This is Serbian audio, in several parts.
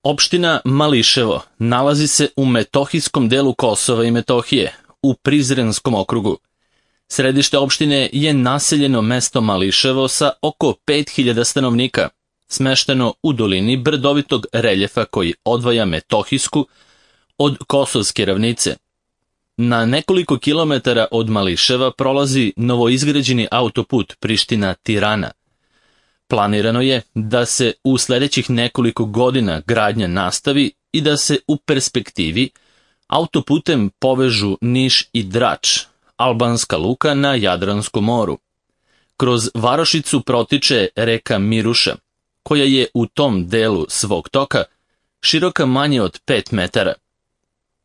Opština Mališevo nalazi se u metohijskom delu Kosova i Metohije, u Prizrenskom okrugu. Središte opštine je naseljeno mesto Mališevo sa oko 5000 stanovnika, smešteno u dolini brdovitog reljefa koji odvaja Metohijsku od Kosovske ravnice. Na nekoliko kilometara od Mališeva prolazi novoizgrađeni autoput Priština-Tirana. Planirano je da se u sledećih nekoliko godina gradnja nastavi i da se u perspektivi autoputem povežu Niš i Drač, albanska luka na Jadranskom moru. Kroz varošicu protiče reka Miruša, koja je u tom delu svog toka široka manje od 5 metara.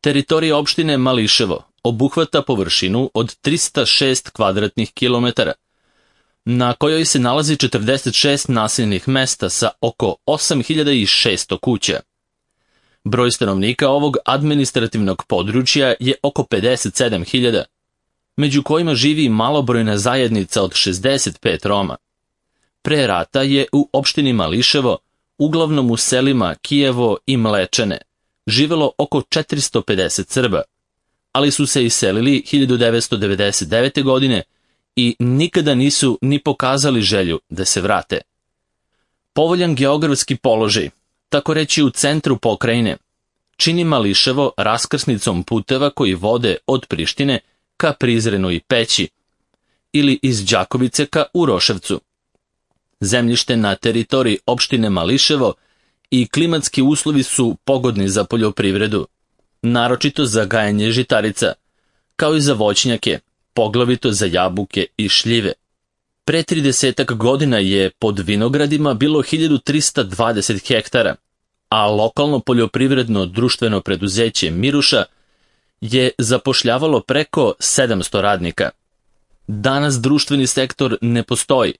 Teritorija opštine Mališevo obuhvata površinu od 306 kvadratnih kilometara, na kojoj se nalazi 46 naseljenih mesta sa oko 8600 kuća. Broj stanovnika ovog administrativnog područja je oko 57.000, među kojima živi malobrojna zajednica od 65 Roma. Pre rata je u opštini Mališevo, uglavnom u selima Kijevo i Mlečane, živelo oko 450 Srba, ali su se iselili 1999. godine i nikada nisu ni pokazali želju da se vrate. Povoljan geografski položaj, tako reći u centru pokrajine, čini Mališevo raskrsnicom puteva koji vode od Prištine ka Prizrenu i Peći ili iz Đakovice ka Uroševcu. Zemljište na teritoriji opštine Mališevo i klimatski uslovi su pogodni za poljoprivredu, naročito za gajenje žitarica, kao i za voćnjake, poglavito za jabuke i šljive. Pre 30 godina je pod vinogradima bilo 1320 hektara, a lokalno poljoprivredno društveno preduzeće Miruša je zapošljavalo preko 700 radnika. Danas društveni sektor ne postoji,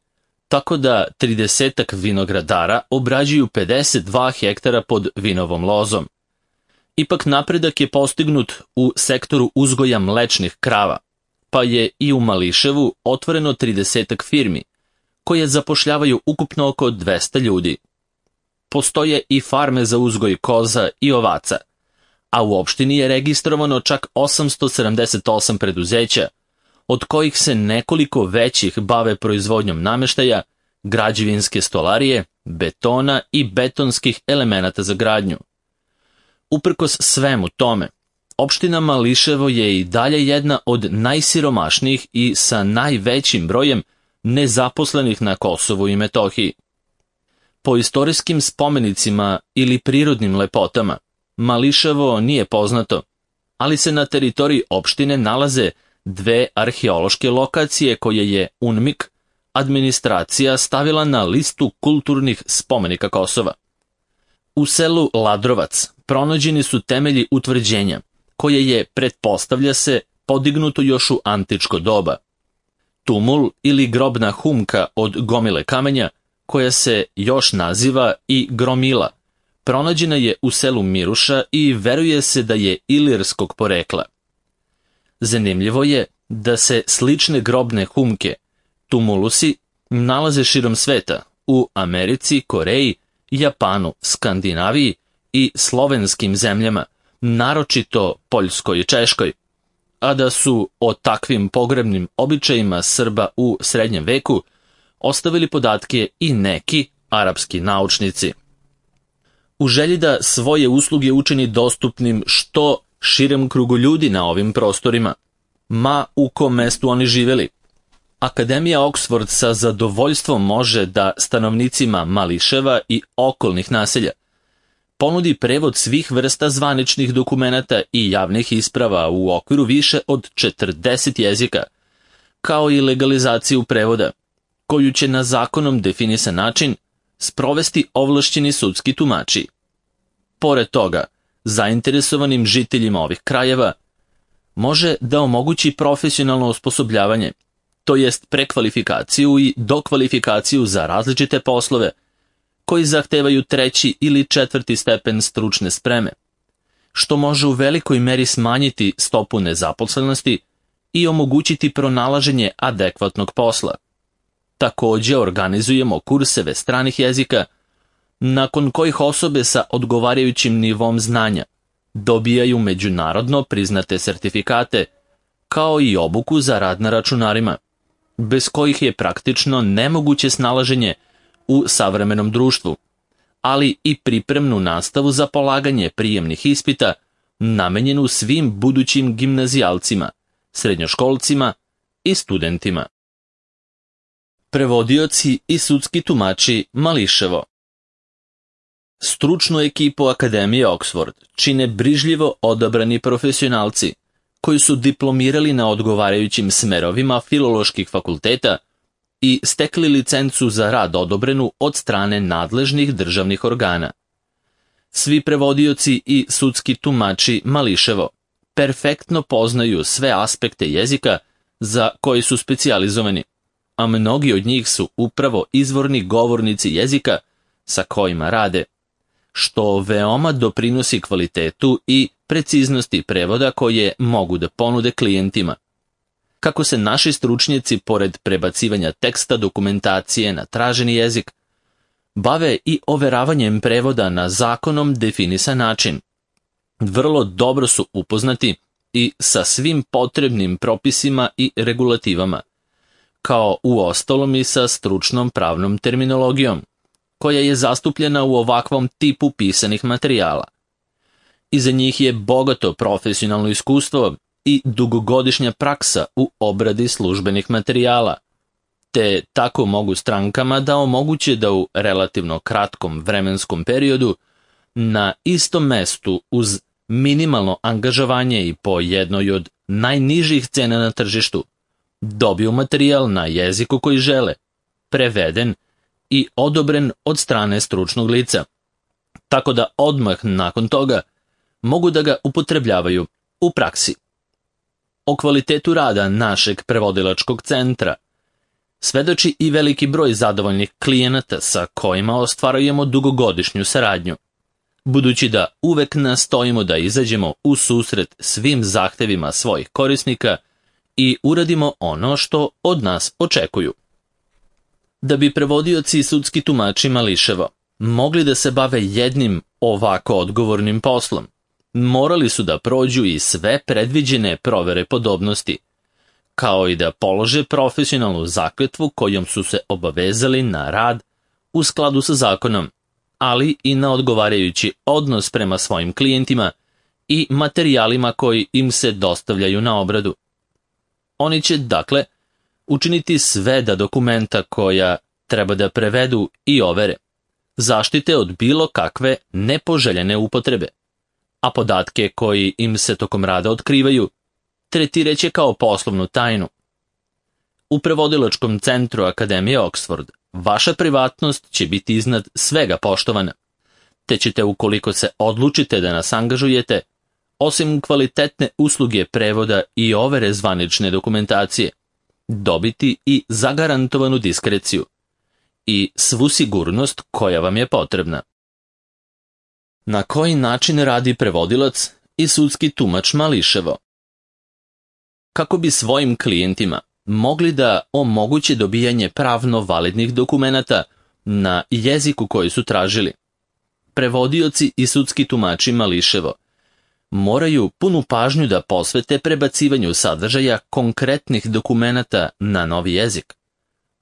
tako da 30 vinogradara obrađuju 52 hektara pod vinovom lozom. Ipak napredak je postignut u sektoru uzgoja mlečnih krava, pa je i u Mališevu otvoreno 30 firmi, koje zapošljavaju ukupno oko 200 ljudi. Postoje i farme za uzgoj koza i ovaca, a u opštini je registrovano čak 878 preduzeća, od kojih se nekoliko većih bave proizvodnjom nameštaja, građevinske stolarije, betona i betonskih elemenata za gradnju. Uprkos svemu tome, opština Mališevo je i dalje jedna od najsiromašnijih i sa najvećim brojem nezaposlenih na Kosovu i Metohiji. Po istorijskim spomenicima ili prirodnim lepotama, Mališevo nije poznato, ali se na teritoriji opštine nalaze dve arheološke lokacije koje je UNMIK, administracija, stavila na listu kulturnih spomenika Kosova. U selu Ladrovac pronađeni su temelji utvrđenja, koje je, pretpostavlja se, podignuto još u antičko doba. Tumul ili grobna humka od gomile kamenja, koja se još naziva i gromila, pronađena je u selu Miruša i veruje se da je ilirskog porekla. Zanimljivo je da se slične grobne humke, tumulusi, nalaze širom sveta, u Americi, Koreji, Japanu, Skandinaviji i slovenskim zemljama, naročito Poljskoj i Češkoj, a da su o takvim pogrebnim običajima Srba u srednjem veku ostavili podatke i neki arapski naučnici. U želji da svoje usluge učini dostupnim što širem krugu ljudi na ovim prostorima, ma u kom mestu oni živeli, Akademija Oxford sa zadovoljstvom može da stanovnicima Mališeva i okolnih naselja ponudi prevod svih vrsta zvaničnih dokumenata i javnih isprava u okviru više od 40 jezika, kao i legalizaciju prevoda, koju će na zakonom definisan način sprovesti ovlašćeni sudski tumači. Pored toga, zainteresovanim žiteljima ovih krajeva može da omogući profesionalno osposobljavanje, to jest prekvalifikaciju i dokvalifikaciju za različite poslove, koji zahtevaju 3. ili 4. stepen stručne spreme, što može u velikoj meri smanjiti stopu nezaposlenosti i omogućiti pronalaženje adekvatnog posla. Takođe organizujemo kurseve stranih jezika, nakon kojih osobe sa odgovarajućim nivom znanja dobijaju međunarodno priznate sertifikate, kao i obuku za rad na računarima, bez kojih je praktično nemoguće snalaženje u savremenom društvu, ali i pripremnu nastavu za polaganje prijemnih ispita namenjenu svim budućim gimnazijalcima, srednjoškolcima i studentima. Prevodioci i sudski tumači Mališevo. Stručnu ekipu Akademije Oxford čine brižljivo odabrani profesionalci koji su diplomirali na odgovarajućim smerovima filoloških fakulteta i stekli licencu za rad odobrenu od strane nadležnih državnih organa. Svi prevodioci i sudski tumači Mališevo perfektno poznaju sve aspekte jezika za koji su specijalizovani, a mnogi od njih su upravo izvorni govornici jezika sa kojima rade, što veoma doprinosi kvalitetu i preciznosti prevoda koje mogu da ponude klijentima. Kako se naši stručnjaci, pored prebacivanja teksta dokumentacije na traženi jezik, bave i overavanjem prevoda na zakonom definisan način, vrlo dobro su upoznati i sa svim potrebnim propisima i regulativama, kao uostalom i sa stručnom pravnom terminologijom, koja je zastupljena u ovakvom tipu pisanih materijala. Iza njih je bogato profesionalno iskustvo i dugogodišnja praksa u obradi službenih materijala, te tako mogu strankama da omoguće da u relativno kratkom vremenskom periodu na istom mestu uz minimalno angažovanje i po jednoj od najnižih cena na tržištu dobiju materijal na jeziku koji žele, preveden i odobren od strane stručnog lica, tako da odmah nakon toga mogu da ga upotrebljavaju u praksi. O kvalitetu rada našeg prevodilačkog centra svedoči i veliki broj zadovoljnih klijenata sa kojima ostvarujemo dugogodišnju saradnju, budući da uvek nastojimo da izađemo u susret svim zahtevima svojih korisnika i uradimo ono što od nas očekuju. Da bi prevodioci i sudski tumači Mališevo mogli da se bave jednim ovako odgovornim poslom, morali su da prođu i sve predviđene provere podobnosti, kao i da polože profesionalnu zakletvu kojom su se obavezali na rad u skladu sa zakonom, ali i na odgovarajući odnos prema svojim klijentima i materijalima koji im se dostavljaju na obradu. Oni će, dakle, učiniti sve da dokumenta koja treba da prevedu i overe zaštite od bilo kakve nepoželjene upotrebe, a podatke koji im se tokom rada otkrivaju tretiraće kao poslovnu tajnu. U prevodilačkom centru Akademije Oxford vaša privatnost će biti iznad svega poštovana, te ćete, ukoliko se odlučite da nas angažujete, osim kvalitetne usluge prevoda i overe zvanične dokumentacije, dobiti i zagarantovanu diskreciju i svu sigurnost koja vam je potrebna. Na koji način radi prevodilac i sudski tumač Mališevo? Kako bi svojim klijentima mogli da omoguće dobijanje pravno validnih dokumenata na jeziku koji su tražili, prevodioci i sudski tumači Mališevo moraju punu pažnju da posvete prebacivanju sadržaja konkretnih dokumenata na novi jezik,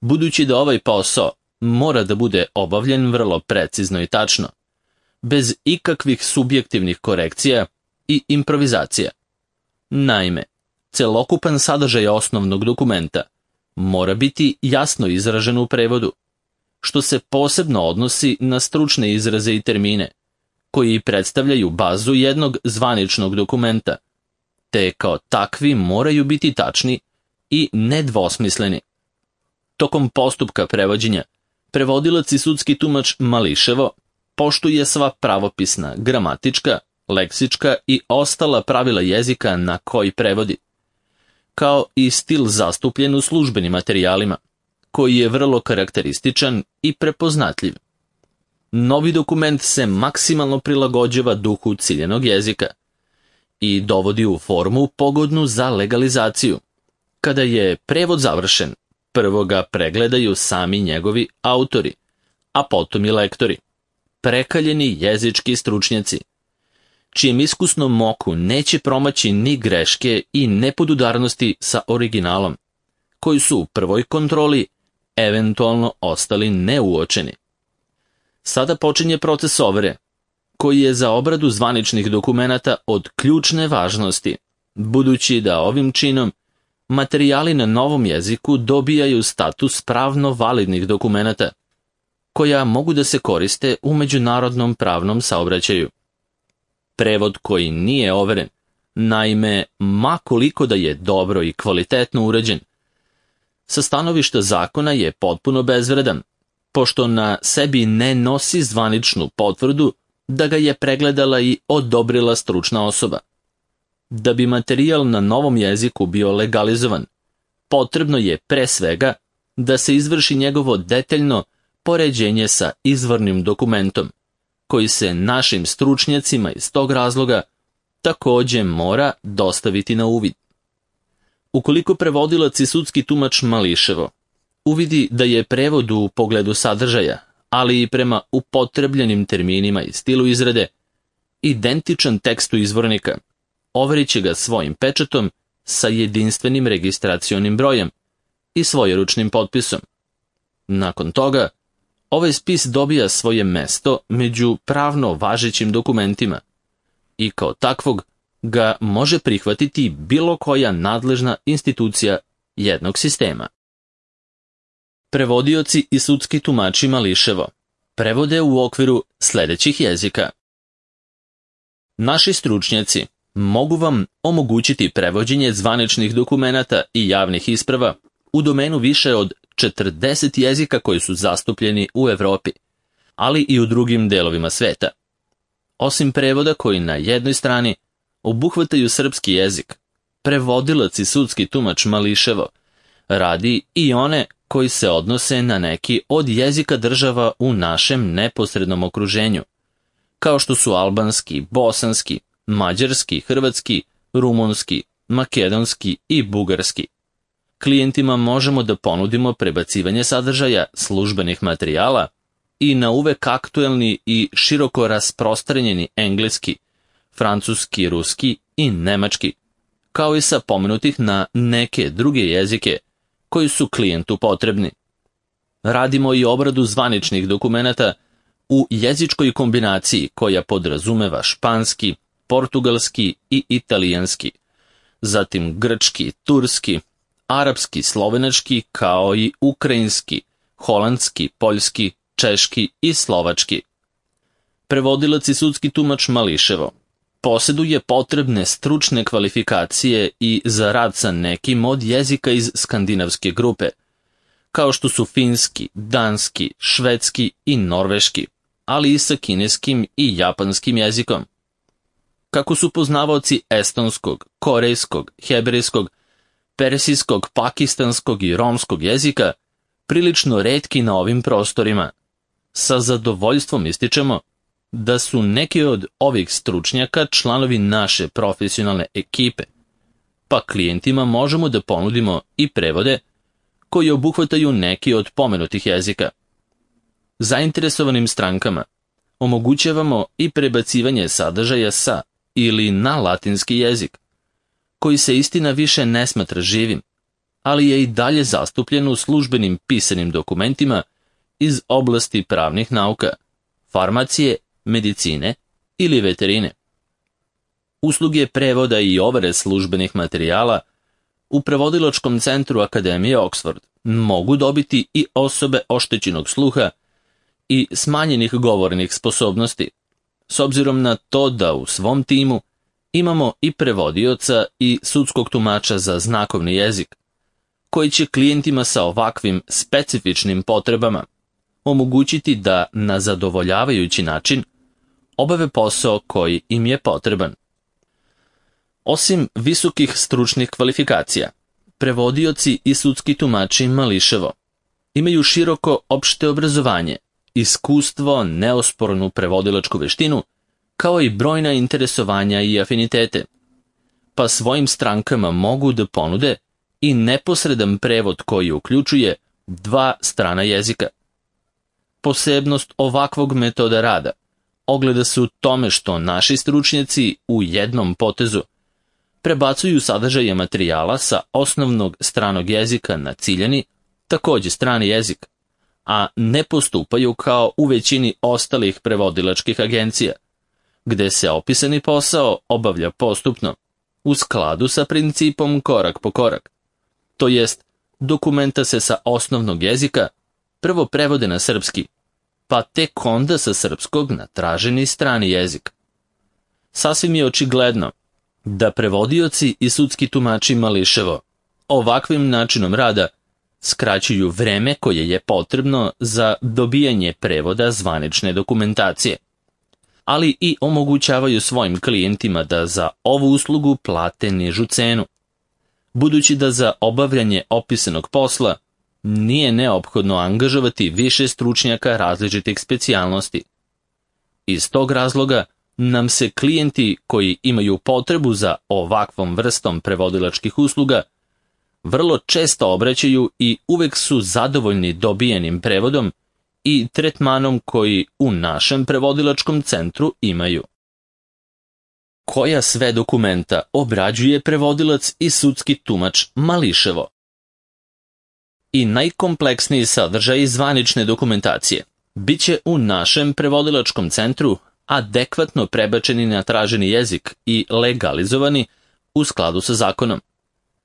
budući da ovaj posao mora da bude obavljen vrlo precizno i tačno, bez ikakvih subjektivnih korekcija i improvizacija. Naime, celokupan sadržaj osnovnog dokumenta mora biti jasno izražen u prevodu, što se posebno odnosi na stručne izraze i termine, koji predstavljaju bazu jednog zvaničnog dokumenta, te kao takvi moraju biti tačni i nedvosmisleni. Tokom postupka prevođenja, prevodilac i sudski tumač Mališevo poštuje sva pravopisna, gramatička, leksička i ostala pravila jezika na koji prevodi, kao i stil zastupljen u službenim materijalima, koji je vrlo karakterističan i prepoznatljiv. Novi dokument se maksimalno prilagođava duhu ciljenog jezika i dovodi u formu pogodnu za legalizaciju. Kada je prevod završen, prvo ga pregledaju sami njegovi autori, a potom i lektori. prekaljeni jezički stručnjaci, čijem iskusnom oku neće promaći ni greške i nepodudarnosti sa originalom, koji su u prvoj kontroli eventualno ostali neuočeni. Sada počinje proces overe, koji je za obradu zvaničnih dokumenata od ključne važnosti, budući da ovim činom materijali na novom jeziku dobijaju status pravno validnih dokumenata, koja mogu da se koriste u međunarodnom pravnom saobraćaju. Prevod koji nije overen, naime, ma koliko da je dobro i kvalitetno urađen, sa stanovišta zakona je potpuno bezvredan, pošto na sebi ne nosi zvaničnu potvrdu da ga je pregledala i odobrila stručna osoba. Da bi materijal na novom jeziku bio legalizovan, potrebno je pre svega da se izvrši njegovo detaljno poređenje sa izvornim dokumentom, koji se našim stručnjacima iz tog razloga takođe mora dostaviti na uvid. Ukoliko prevodilac i sudski tumač mališevo uvidi da je prevod u pogledu sadržaja, ali i prema upotrebljenim terminima i stilu izrade, identičan tekstu izvornika, overit će ga svojim pečatom sa jedinstvenim registracionim brojem i svojeručnim potpisom. Nakon toga, ovaj spis dobija svoje mesto među pravno važećim dokumentima i kao takvog ga može prihvatiti bilo koja nadležna institucija jednog sistema. Prevodioci i sudski tumači mališevo prevode u okviru sledećih jezika. Naši stručnjaci mogu vam omogućiti prevođenje zvaničnih dokumenata i javnih isprava u domenu više od 40 jezika koji su zastupljeni u Evropi, ali i u drugim delovima sveta. Osim prevoda koji na jednoj strani obuhvataju srpski jezik, prevodilac i sudski tumač mališevo radi i one koji se odnose na neki od jezika država u našem neposrednom okruženju, kao što su albanski, bosanski, mađarski, hrvatski, rumunski, makedonski i bugarski. Klijentima možemo da ponudimo prebacivanje sadržaja službenih materijala i na uvek aktuelni i široko rasprostranjeni engleski, francuski, ruski i nemački, kao i sa pomenutih na neke druge jezike koji su klijentu potrebni. Radimo i obradu zvaničnih dokumenata u jezičkoj kombinaciji koja podrazumeva španski, portugalski i italijanski, zatim grčki, turski, arapski, slovenački, kao i ukrajinski, holandski, poljski, češki i slovački. Prevodilac i sudski tumač mališevo poseduje potrebne stručne kvalifikacije i za rad sa nekim od jezika iz skandinavske grupe, kao što su finski, danski, švedski i norveški, ali i sa kineskim i japanskim jezikom. Kako su poznavaoci estonskog, korejskog, hebrejskog, persijskog, pakistanskog i romskog jezika prilično retki na ovim prostorima, sa zadovoljstvom ističemo da su neki od ovih stručnjaka članovi naše profesionalne ekipe, pa klijentima možemo da ponudimo i prevode koji obuhvataju neki od pomenutih jezika. Zainteresovanim strankama omogućavamo i prebacivanje sadržaja sa ili na latinski jezik, koji se istina više ne smatra živim, ali je i dalje zastupljen u službenim pisanim dokumentima iz oblasti pravnih nauka, farmacije, medicine ili veterine. Usluge prevoda i overe službenih materijala u prevodilačkom centru Akademije Oxford mogu dobiti i osobe oštećenog sluha i smanjenih govornih sposobnosti, s obzirom na to da u svom timu imamo i prevodioca i sudskog tumača za znakovni jezik, koji će klijentima sa ovakvim specifičnim potrebama omogućiti da na zadovoljavajući način obave posao koji im je potreban. Osim visokih stručnih kvalifikacija, prevodioci i sudski tumači mališevo imaju široko opšte obrazovanje, iskustvo, neospornu prevodilačku veštinu, kao i brojna interesovanja i afinitete, pa svojim strankama mogu da ponude i neposredan prevod koji uključuje 2 strana jezika. posebnost ovakvog metoda rada ogleda se u tome što naši stručnjaci u jednom potezu prebacuju sadržaje materijala sa osnovnog stranog jezika na ciljani, takođe strani jezik, a ne postupaju kao u većini ostalih prevodilačkih agencija, gde se opisani posao obavlja postupno, u skladu sa principom korak po korak. To jest, dokumenta se sa osnovnog jezika prvo prevode na srpski, pa tek onda sa srpskog na traženi strani jezik. Sasvim je očigledno da prevodioci i sudski tumači mališevo ovakvim načinom rada skraćuju vreme koje je potrebno za dobijanje prevoda zvanične dokumentacije, ali i omogućavaju svojim klijentima da za ovu uslugu plate nižu cenu, budući da za obavljanje opisanog posla nije neophodno angažovati više stručnjaka različitih specijalnosti. Iz tog razloga nam se klijenti koji imaju potrebu za ovakvom vrstom prevodilačkih usluga vrlo često obraćaju i uvek su zadovoljni dobijenim prevodom i tretmanom koji u našem prevodilačkom centru imaju. Koja sve dokumenta obrađuje prevodilac i sudski tumač mališevo? I najkompleksniji sadržaj zvanične dokumentacije biće u našem prevodilačkom centru adekvatno prebačeni na traženi jezik i legalizovani u skladu sa zakonom.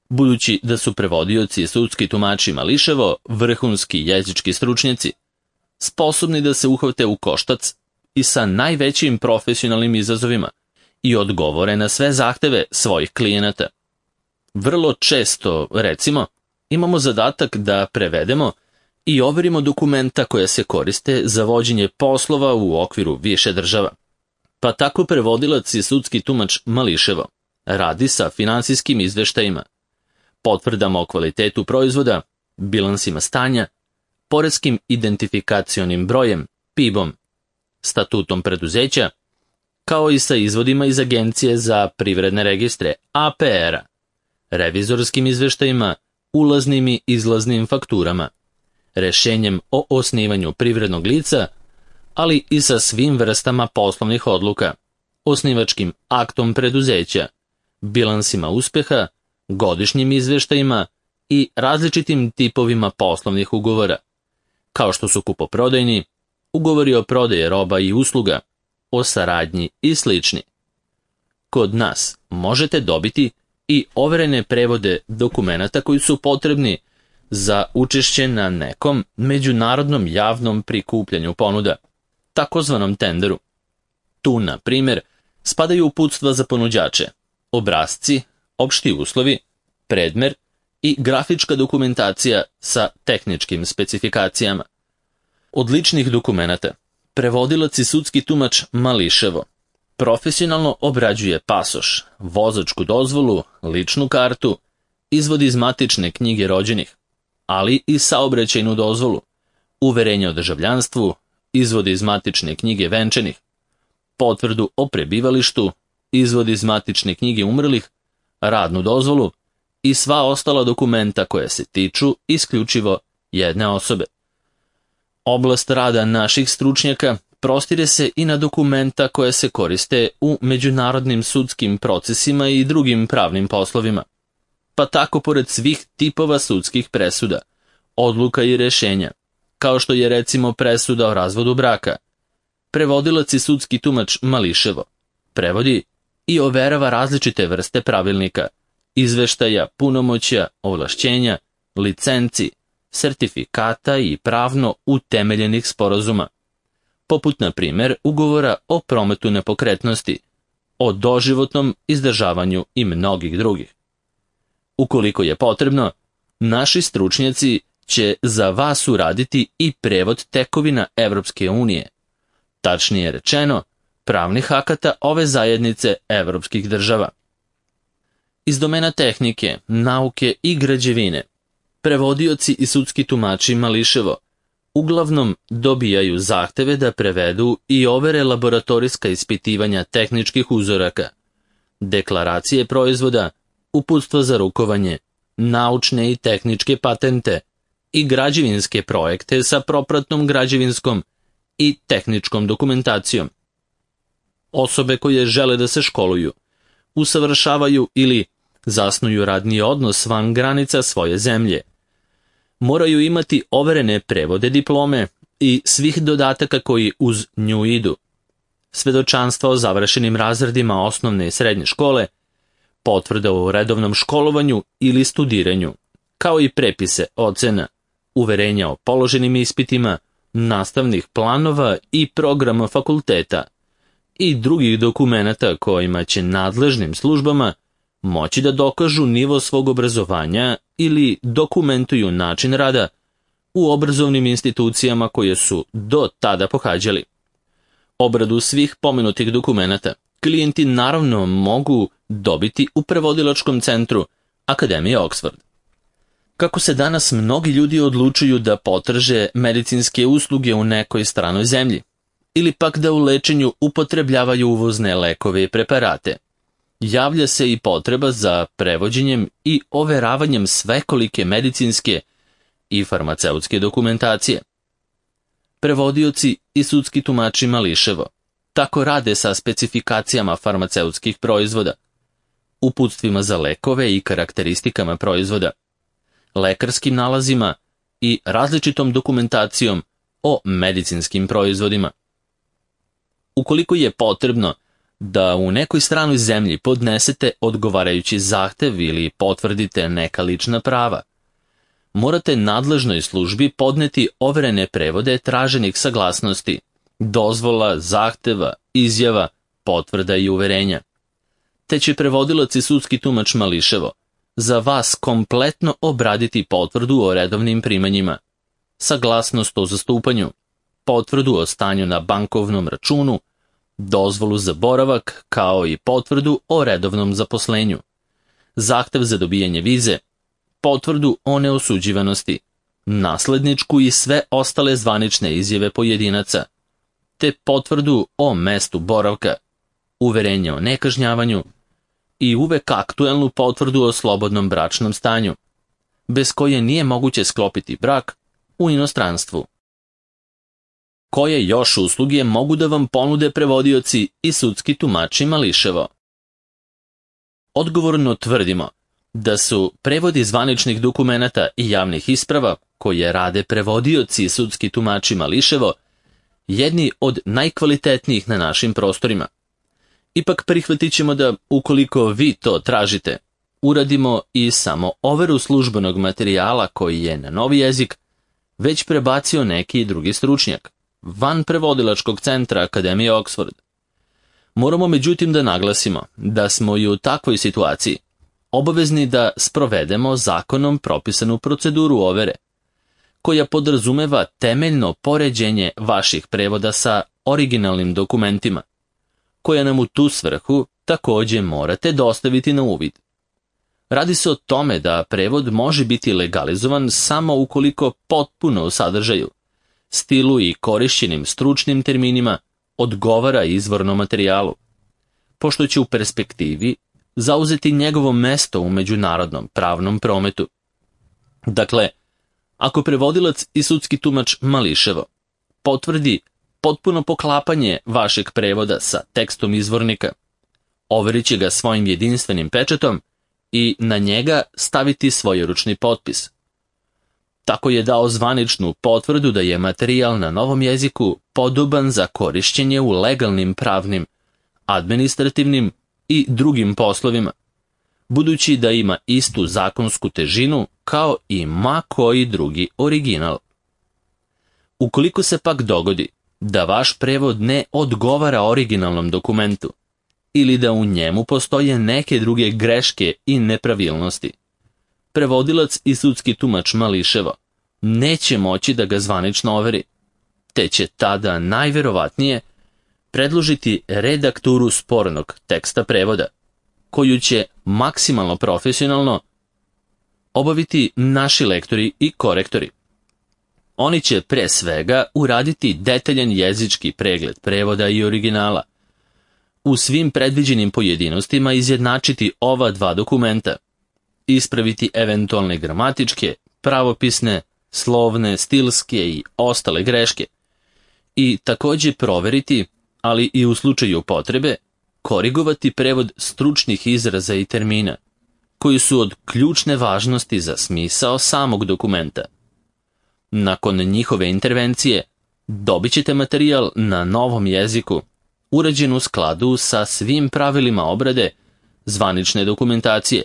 Budući da su prevodioci i sudski tumači mališevo vrhunski jezički stručnjaci, sposobni da se uhvate u koštac i sa najvećim profesionalnim izazovima i odgovore na sve zahteve svojih klijenata. Vrlo često, recimo, imamo zadatak da prevedemo i overimo dokumenta koja se koriste za vođenje poslova u okviru više država. Pa tako prevodilac i sudski tumač mališevo radi sa finansijskim izveštajima, potvrdama o kvalitetu proizvoda, bilansima stanja, poreskim identifikacionim brojem, PIB-om, statutom preduzeća, kao i sa izvodima iz Agencije za privredne registre, APR-a, revizorskim izveštajima, ulaznim i izlaznim fakturama, rešenjem o osnivanju privrednog lica, ali i sa svim vrstama poslovnih odluka, osnivačkim aktom preduzeća, bilansima uspeha, godišnjim izveštajima i različitim tipovima poslovnih ugovora, kao što su kupoprodajni, ugovori o prodaji roba i usluga, o saradnji i slični. Kod nas možete dobiti i overene prevode dokumenata koji su potrebni za učešće na nekom međunarodnom javnom prikupljanju ponuda, takozvanom tenderu. Tu, na primjer, spadaju uputstva za ponuđače, obrasci, opšti uslovi, predmer i grafička dokumentacija sa tehničkim specifikacijama. Od ličnih dokumenata, prevodilac i sudski tumač mališevo profesionalno obrađuje pasoš, vozačku dozvolu, ličnu kartu, izvod iz matične knjige rođenih, ali i saobraćajnu dozvolu, uverenje o državljanstvu, izvod iz matične knjige venčanih, potvrdu o prebivalištu, izvod iz matične knjige umrlih, radnu dozvolu i sva ostala dokumenta koja se tiču isključivo jedne osobe. Oblast rada naših stručnjaka prostire se i na dokumenta koje se koriste u međunarodnim sudskim procesima i drugim pravnim poslovima. Pa tako pored svih tipova sudskih presuda, odluka i rešenja, kao što je recimo presuda o razvodu braka, prevodilac i sudski tumač mališevo prevodi i overava različite vrste pravilnika, izveštaja, punomoćja, ovlašćenja, licenci, sertifikata i pravno utemeljenih sporazuma, poput na primjer ugovora o prometu nepokretnosti, o doživotnom izdržavanju i mnogih drugih. Ukoliko je potrebno, naši stručnjaci će za vas uraditi i prevod tekovina Evropske unije, tačnije rečeno, pravnih akata ove zajednice evropskih država. Iz domena tehnike, nauke i građevine, prevodioci i sudski tumači mališevo uglavnom dobijaju zahteve da prevedu i overe laboratorijska ispitivanja tehničkih uzoraka, deklaracije proizvoda, uputstva za rukovanje, naučne i tehničke patente, i građevinske projekte sa propratnom građevinskom i tehničkom dokumentacijom. Osobe koje žele da se školuju, usavršavaju ili zasnuju radni odnos van granica svoje zemlje, moraju imati overene prevode diplome i svih dodataka koji uz nju idu, svedočanstva o završenim razredima osnovne i srednje škole, potvrda o redovnom školovanju ili studiranju, kao i prepise ocena, uverenja o položenim ispitima, nastavnih planova i programa fakulteta i drugih dokumenata kojima će nadležnim službama moći da dokažu nivo svog obrazovanja ili dokumentuju način rada u obrazovnim institucijama koje su do tada pohađali. Obradu svih pomenutih dokumenata klijenti naravno mogu dobiti u prevodilačkom centru Akademije Oxford. Kako se danas mnogi ljudi odlučuju da potraže medicinske usluge u nekoj stranoj zemlji, ili pak da u lečenju upotrebljavaju uvozne lekove i preparate, javlja se i potreba za prevođenjem i overavanjem svekolike medicinske i farmaceutske dokumentacije. Prevodioci i sudski tumači mališevo tako rade sa specifikacijama farmaceutskih proizvoda, uputstvima za lekove i karakteristikama proizvoda, lekarskim nalazima i različitom dokumentacijom o medicinskim proizvodima. Ukoliko je potrebno da u nekoj stranoj zemlji podnesete odgovarajući zahtev ili potvrdite neka lična prava, morate nadležnoj službi podneti overene prevode traženih saglasnosti, dozvola, zahteva, izjava, potvrda i uverenja. Te će prevodilac i sudski tumač mališevo za vas kompletno obraditi potvrdu o redovnim primanjima, saglasnost o zastupanju, potvrdu o stanju na bankovnom računu, dozvolu za boravak kao i potvrdu o redovnom zaposlenju, zahtev za dobijanje vize, potvrdu o neosuđivanosti, nasledničku i sve ostale zvanične izjave pojedinaca, te potvrdu o mestu boravka, uverenje o nekažnjavanju i uvek aktuelnu potvrdu o slobodnom bračnom stanju, bez koje nije moguće sklopiti brak u inostranstvu. Koje još usluge mogu da vam ponude prevodioci i sudski tumači mališevo? Odgovorno tvrdimo da su prevodi zvaničnih dokumenata i javnih isprava, koje rade prevodioci i sudski tumači mališevo, jedni od najkvalitetnijih na našim prostorima. Ipak prihvatit ćemo da, ukoliko vi to tražite, uradimo i samo overu službenog materijala koji je na novi jezik već prebacio neki drugi stručnjak, van prevodilačkog centra Akademije Oxford. Moramo međutim da naglasimo da smo i u takvoj situaciji obavezni da sprovedemo zakonom propisanu proceduru overe, koja podrazumeva temeljno poređenje vaših prevoda sa originalnim dokumentima, koja nam u tu svrhu također morate dostaviti na uvid. Radi se o tome da prevod može biti legalizovan samo ukoliko potpuno u sadržaju, stilu i korišćenim stručnim terminima odgovara izvornom materijalu, pošto će u perspektivi zauzeti njegovo mesto u međunarodnom pravnom prometu. Dakle, ako prevodilac i sudski tumač mališevo potvrdi potpuno poklapanje vašeg prevoda sa tekstom izvornika, overit će ga svojim jedinstvenim pečatom i na njega staviti svojeručni potpis. Tako je dao zvaničnu potvrdu da je materijal na novom jeziku podoban za korišćenje u legalnim pravnim, administrativnim i drugim poslovima, budući da ima istu zakonsku težinu kao i ma koji drugi original. Ukoliko se pak dogodi da vaš prevod ne odgovara originalnom dokumentu ili da u njemu postoje neke druge greške i nepravilnosti, prevodilac i sudski tumač mališevo neće moći da ga zvanično overi, te će tada najverovatnije predložiti redakturu spornog teksta prevoda, koju će maksimalno profesionalno obaviti naši lektori i korektori. Oni će pre svega uraditi detaljan jezički pregled prevoda i originala, u svim predviđenim pojedinostima izjednačiti ova dva dokumenta, ispraviti eventualne gramatičke, pravopisne, slovne, stilske i ostale greške. I također proveriti, ali i u slučaju potrebe, korigovati prevod stručnih izraza i termina, koji su od ključne važnosti za smisao samog dokumenta. Nakon njihove intervencije, dobit ćete materijal na novom jeziku, urađen u skladu sa svim pravilima obrade zvanične dokumentacije,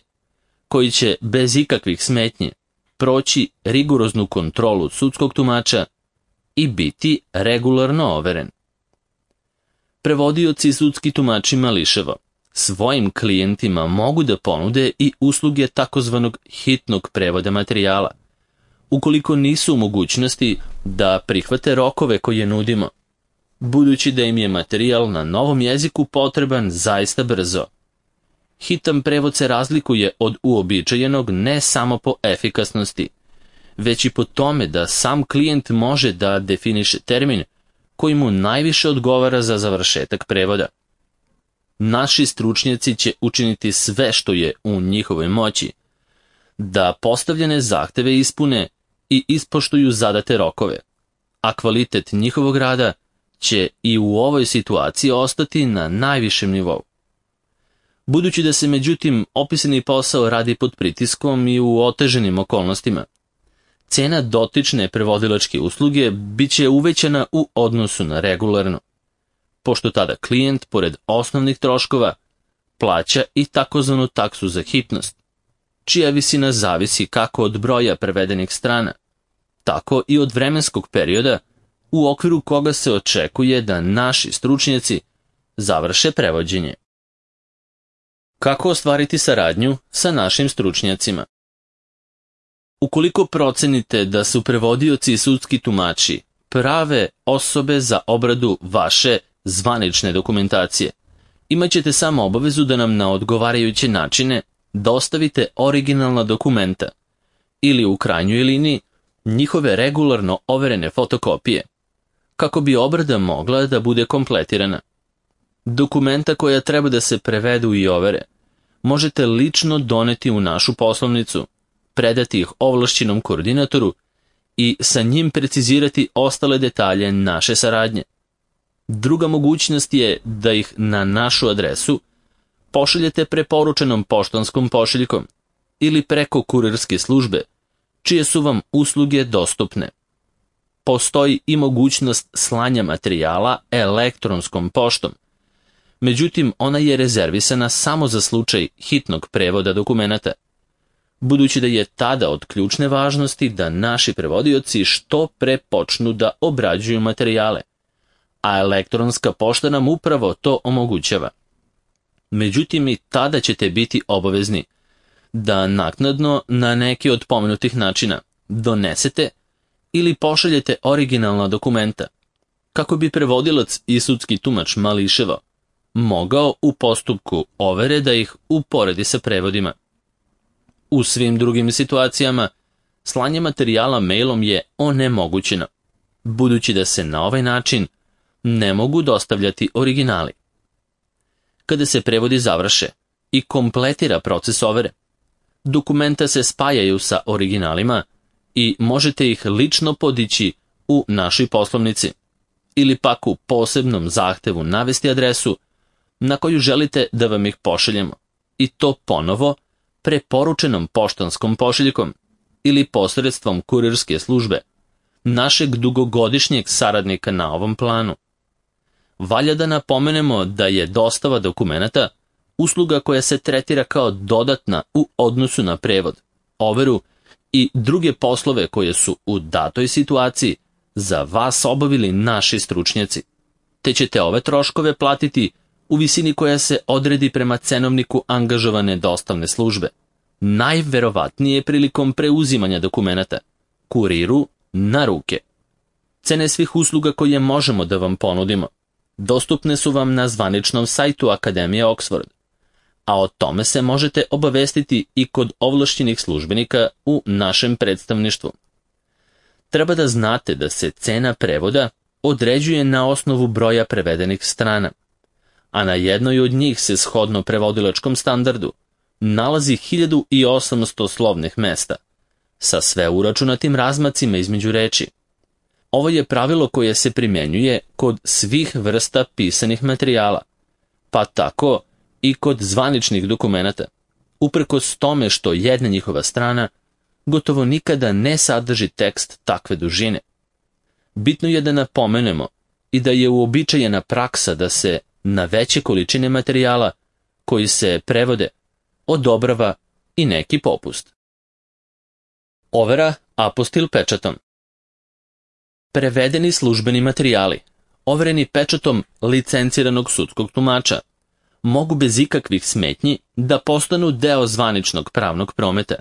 koji će bez ikakvih smetnji proći rigoroznu kontrolu sudskog tumača i biti regularno overen. Prevodioci i sudski tumači mališevo svojim klijentima mogu da ponude i usluge takozvanog hitnog prevoda materijala, ukoliko nisu u mogućnosti da prihvate rokove koje nudimo, budući da im je materijal na novom jeziku potreban zaista brzo. Hitan prevod se razlikuje od uobičajenog ne samo po efikasnosti, već i po tome da sam klijent može da definiše termin koji mu najviše odgovara za završetak prevoda. Naši stručnjaci će učiniti sve što je u njihovoj moći, da postavljene zahteve ispune i ispoštuju zadate rokove, a kvalitet njihovog rada će i u ovoj situaciji ostati na najvišem nivou. Budući da se međutim opisani posao radi pod pritiskom i u oteženim okolnostima, cena dotične prevodilačke usluge bit će uvećana u odnosu na regularno, pošto tada klijent, pored osnovnih troškova, plaća i takozvanu taksu za hitnost, čija visina zavisi kako od broja prevedenih strana, tako i od vremenskog perioda u okviru koga se očekuje da naši stručnjaci završe prevođenje. Kako ostvariti saradnju sa našim stručnjacima? Ukoliko procenite da su prevodioci i sudski tumači prave osobe za obradu vaše zvanične dokumentacije, imat ćete samo obavezu da nam na odgovarajuće načine dostavite originalna dokumenta ili u krajnjoj liniji njihove regularno overene fotokopije, kako bi obrada mogla da bude kompletirana. Dokumenta koja treba da se prevedu i overe možete lično doneti u našu poslovnicu, predati ih ovlašćenom koordinatoru i sa njim precizirati ostale detalje naše saradnje. Druga mogućnost je da ih na našu adresu pošaljete preporučenom poštanskom pošiljkom ili preko kurirske službe, čije su vam usluge dostupne. Postoji i mogućnost slanja materijala elektronskom poštom, međutim ona je rezervisana samo za slučaj hitnog prevoda dokumenata, budući da je tada od ključne važnosti da naši prevodioci što pre počnu da obrađuju materijale, a elektronska pošta nam upravo to omogućava. Međutim, i tada ćete biti obavezni da naknadno na neki od pomenutih načina donesete ili pošaljete originalna dokumenta, kako bi prevodilac i sudski tumač mališevo mogao u postupku overe da ih uporedi sa prevodima. U svim drugim situacijama, slanje materijala mailom je onemogućeno, budući da se na ovaj način ne mogu dostavljati originali. Kada se prevodi završe i kompletira proces overe, dokumenta se spajaju sa originalima i možete ih lično podići u našoj poslovnici ili pak u posebnom zahtevu navesti adresu na koju želite da vam ih pošaljemo, i to ponovo preporučenom poštanskom pošiljkom ili posredstvom kurirske službe, našeg dugogodišnjeg saradnika na ovom planu. Valja da napomenemo da je dostava dokumenata usluga koja se tretira kao dodatna u odnosu na prevod, overu i druge poslove koje su u datoj situaciji za vas obavili naši stručnjaci, te ćete ove troškove platiti u visini koja se odredi prema cenovniku angažovane dostavne službe, najverovatnije prilikom preuzimanja dokumenata, kuriru na ruke. Cene svih usluga koje možemo da vam ponudimo dostupne su vam na zvaničnom sajtu Akademije Oxford, a o tome se možete obavestiti i kod ovlašćenih službenika u našem predstavništvu. Treba da znate da se cena prevoda određuje na osnovu broja prevedenih strana, a na jednoj od njih se shodno prevodilačkom standardu nalazi 1800 slovnih mesta, sa sve uračunatim razmacima između reči. Ovo je pravilo koje se primjenjuje kod svih vrsta pisanih materijala, pa tako i kod zvaničnih dokumenata, uprkos tome što jedna njihova strana gotovo nikada ne sadrži tekst takve dužine. Bitno je da napomenemo i da je uobičajena praksa da se na veće količine materijala koji se prevode odobrava i neki popust. Overa apostil pečatom. Prevedeni službeni materijali, overeni pečatom licenciranog sudskog tumača, mogu bez ikakvih smetnji da postanu deo zvaničnog pravnog prometa.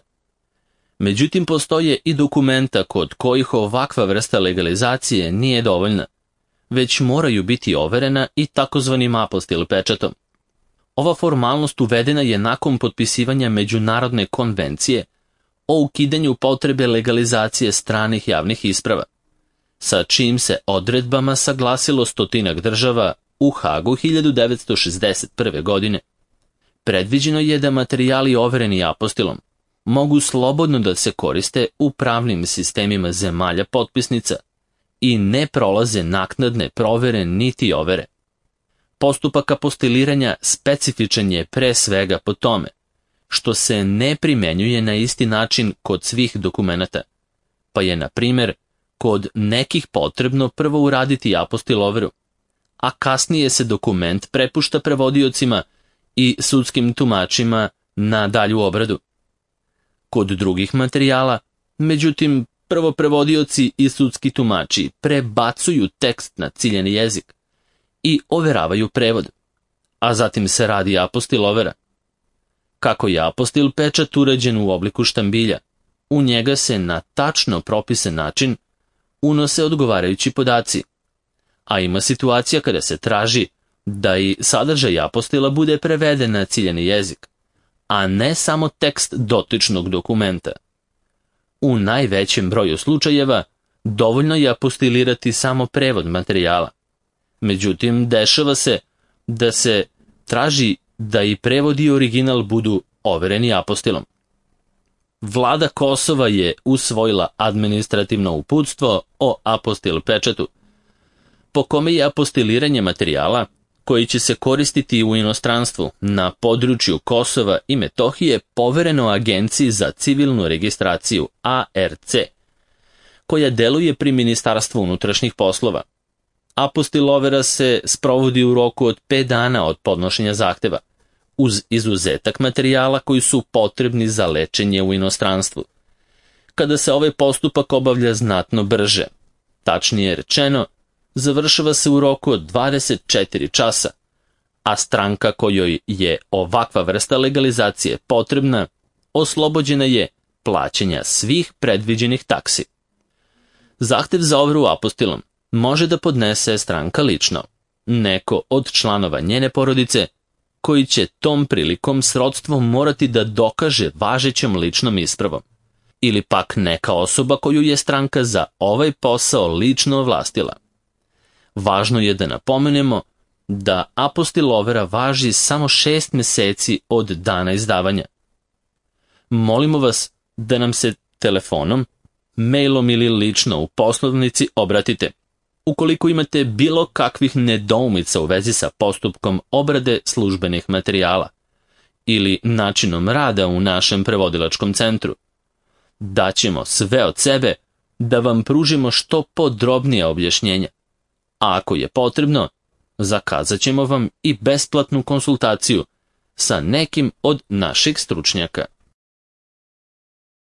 Međutim, postoje i dokumenta kod kojih ovakva vrsta legalizacije nije dovoljna, već moraju biti overena i takozvanim apostil pečatom. Ova formalnost uvedena je nakon potpisivanja Međunarodne konvencije o ukidanju potrebe legalizacije stranih javnih isprava, sa čijim se odredbama saglasilo 100 država u Hagu 1961. godine. Predviđeno je da materijali overeni apostilom mogu slobodno da se koriste u pravnim sistemima zemalja potpisnica i ne prolaze naknadne provere niti overe. Postupak apostiliranja specifičan je pre svega po tome što se ne primenjuje na isti način kod svih dokumenata, pa je, na primjer, kod nekih potrebno prvo uraditi apostil overu, a kasnije se dokument prepušta prevodiocima i sudskim tumačima na dalju obradu. Kod drugih materijala, međutim, prvo prevodioci i sudski tumači prebacuju tekst na ciljani jezik i overavaju prevod, a zatim se radi apostil overa. Kako je apostil pečat uređen u obliku štambilja, u njega se na tačno propisan način unose odgovarajući podaci, a ima situacija kada se traži da i sadržaj apostila bude preveden na ciljani jezik, a ne samo tekst dotičnog dokumenta. U najvećem broju slučajeva dovoljno je apostilirati samo prevod materijala. Međutim, dešava se da se traži da i prevod i original budu overeni apostilom. Vlada Kosova je usvojila administrativno uputstvo o apostil pečatu, po kome je apostiliranje materijala koji će se koristiti u inostranstvu na području Kosova i Metohije povereno Agenciji za civilnu registraciju ARC, koja deluje pri Ministarstvu unutrašnjih poslova. Apostil overa se sprovodi u roku od 5 dana od podnošenja zahteva, uz izuzetak materijala koji su potrebni za lečenje u inostranstvu, kada se ovaj postupak obavlja znatno brže. Tačnije rečeno, završava se u roku od 24 časa, a stranka kojoj je ovakva vrsta legalizacije potrebna, oslobođena je plaćanja svih predviđenih taksi. Zahtev za overu apostilom može da podnese stranka lično, neko od članova njene porodice, koji će tom prilikom srodstvom morati da dokaže važećom ličnom ispravom, ili pak neka osoba koju je stranka za ovaj posao lično ovlastila. Važno je da napomenemo da apostil overa važi samo 6 meseci od dana izdavanja. Molimo vas da nam se telefonom, mailom ili lično u poslovnici obratite, ukoliko imate bilo kakvih nedoumica u vezi sa postupkom obrade službenih materijala ili načinom rada u našem prevodilačkom centru. Daćemo sve od sebe da vam pružimo što podrobnije objašnjenja, a ako je potrebno, zakazat ćemo vam i besplatnu konsultaciju sa nekim od naših stručnjaka.